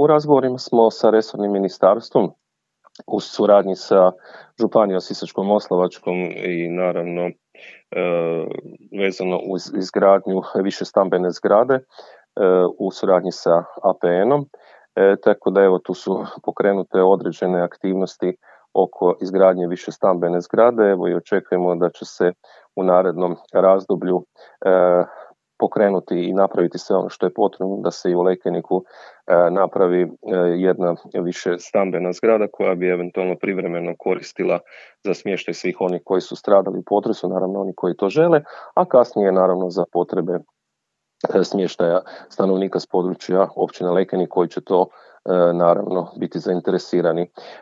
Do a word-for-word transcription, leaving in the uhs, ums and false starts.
u razgovorima smo sa resornim ministarstvom u suradnji sa Županijom Sisačko-moslavačkom i naravno e, vezano uz izgradnju višestambene zgrade e, u suradnji sa A P N-om. E, tako da evo tu su pokrenute određene aktivnosti oko izgradnje višestambene zgrade, evo i očekujemo da će se u narednom razdoblju e, pokrenuti i napraviti sve ono što je potrebno da se i u Lekeniku e, napravi e, jedna više stambena zgrada koja bi eventualno privremeno koristila za smještaj svih onih koji su stradali u potresu, naravno oni koji to žele, a kasnije naravno za potrebe e, smještaja stanovnika s područja općine Lekenik koji će to e, naravno biti zainteresirani.